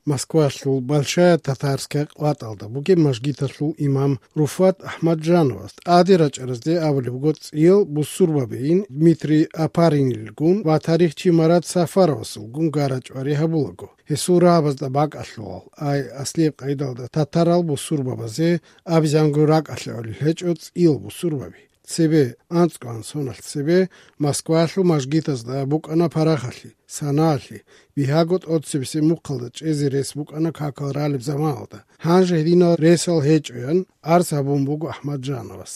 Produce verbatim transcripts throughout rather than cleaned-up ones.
Москвалъул Большая Татарская къватӀалда бугеб мажгиталъул имам Руфат Ахмаджановас тӀаде рачӀаразде абулеб буго цӀиял бусурбабейин Дмитрий Апаринилгун ва тарихчи Марат Сафаровасулгун гарачӀвари гьабулаго. Гьесул рагӀабазда бакӀалъулал, ай аслияб къайдалда татарал бусурбабазе абизанго ракӀалъе гӀолел гьечӀо цӀиял бусурбаби. Цебе, анцӀго ансоналъ цебе, Москвалъул мажгитазда букӀана парахалъи, санаалъи, бигьаго тӀоцебесеб мухъалда чӀезе рес букӀана какал ралеб заманалда. Гьанже гьединал ресал гьечӀоян арз гьабун буго Ахмаджановас.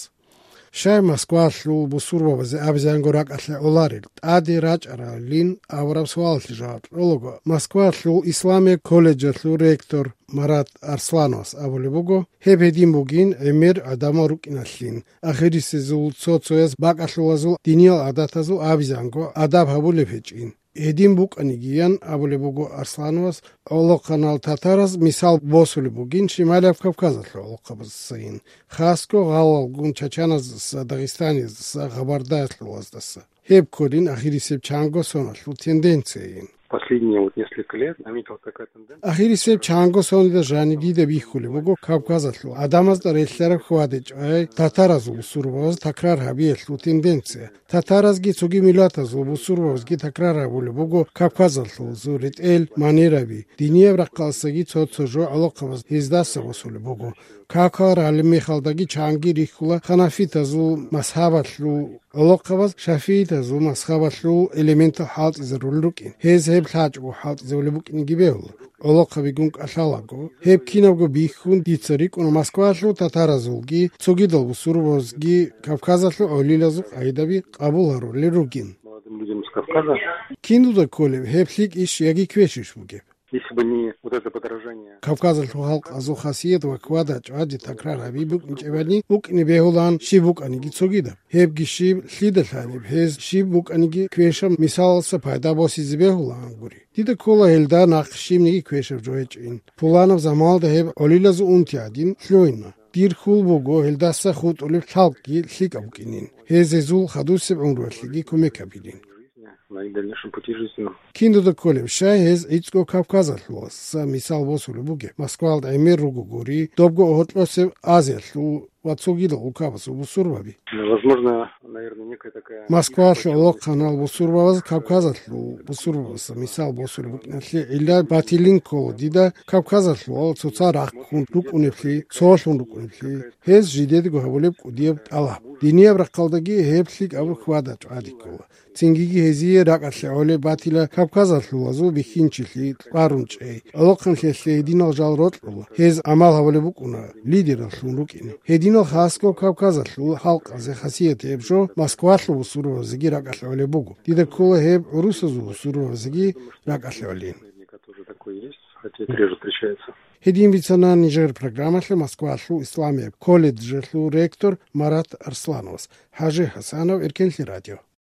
Щай Москвалъул бусурбабазе абизанго ракӀалъе гӀоларел тӀаде рачӀаралин абураб суалалъе жаваб кьолаго, Москвалъул исламияб колледжалъул ректор Марат Арслановас абулеб буго, гьеб гьедин бугин гӀемер гӀадамал рукӀиналъин, ахирисезул цо-цояз бакӀалъулазул диниял гӀадатазул абизанго адаб гьабулеб гьечӀин. Гьедин букӀанигиян абулеб буго Арслановас, гӀолохъанал татараз мисал босулеб бугин Шималияб Кавказалъул гӀолохъабаздасайин, хасго гъалалгун чачаназдаса, дагъистаниздаса, гъабардаялъулаздаса. Гьеб кколин ахирисеб чанго соналъул тенденцияйин. Последние вот несколько лет наметилась такая тенденция. Ахирисеб чанго соналда жаниб дида бихьулеб буго Кавказалъул гӀадамазда релълъараб хьвадечӀай татаразул бусурбабаз такрар гьабиялъул тенденция. Татаразги цоги миллатазул бусурбабазги такрар гьабулеб буго Кавказалъулазул ретӀел, манераби, динияб рахъалдасаги цо-цо жо гӀолохъабаз гьездаса босулеб буго. Какал ралеб мехалдаги чанги рихьула ханафитазул мазгьабалъул гӀолохъабаз шафиитазул мазгьабалъул элементал хӀалтӀизарулел рукӀин. Гьез гьеб лъачӀого хӀалтӀизабулеб букӀинеги бегьула. ГӀолохъабигун кӀалъалаго, гьеб кинабго бихьун дица рикӀкӀуна Москвалъул татаразулги, цогидал бусурбабазги Кавказалъул гӀолилазул къайдаби къабул гьарулел ругин. Молодым людям с Кавказа. Киндуда кколеб гьеб лъикӀищ яги квешищ бугеб? Если бы не вот это подорожание. Кавказалъул халкъазул хасият ва хьвада-чӀвади такрар гьаби букӀинчӀебани, букӀине бегьулаан щиб букӀаниги цогидаб. Гьебги щиб, лъида лъалеб, гьез щиб букӀаниги квешаб мисалалса пайда босизе бегьулаан гури. Дида ккола гьелда нахъ щибниги квешаб жо гьечӀин. Пуланаб заманалда гьеб гӀолилазул унти гӀадин лъугьина. Дир хьул буго гьелдаса хутӀулеб лъалкӀги лъикӀаб букӀинин, гьез гьезул хадусеб гӀумруялъеги кумек гьабилин. На их дальнейшем пути жизненном. Киндуда кколеб, щай гьез гӀицӀго Кавказалъуласа мисал босулеб бугеб, Москвалда гӀемер руго гури, добго гьоркьосеб Азиялъул ва цогидал улкабазул бусурбаби. Ну, возможно, наверное, некая такая Москвалъул гӀолохъанал бусурбабаз Кавказалъул бусурбабазда мисал босулеб букӀиналъе гӀилла батилин ккола дида Кавказалъулал цоцал рахъун рукӀунеблъи, цолъун рукӀунеблъи, гьез жидедаго гьабулеб кӀудияб тӀалаб. Динияб рахъалдаги гьеб лъикӀаб хьвада-чӀвади ккола. Цингиги гьезие ракӀалъе гӀолеб батила Кавказалъулазул бихьинчилъи, кьварун чӀей, гӀолохъанлъиялъе гьединал жал рокьула, гьез гӀамал гьабулеб букӀуна лидераллъун рукӀине. Гьединал хасго Кавказалъул халкъазе хасият гьеб жо Москвалъул бусурбабазеги ракӀалъе гӀолеб буго. Дида ккола гьеб гӀурусазул бусурбабазеги ракӀалъе гӀолин. Тоже такое есть, хотя это реже встречается. Гьедин бицана нижер программалъе Москвалъул исламияб колледжалъул ректор Марат Арслановас. ХӀажи ХӀасанов, Эркенлъи радио.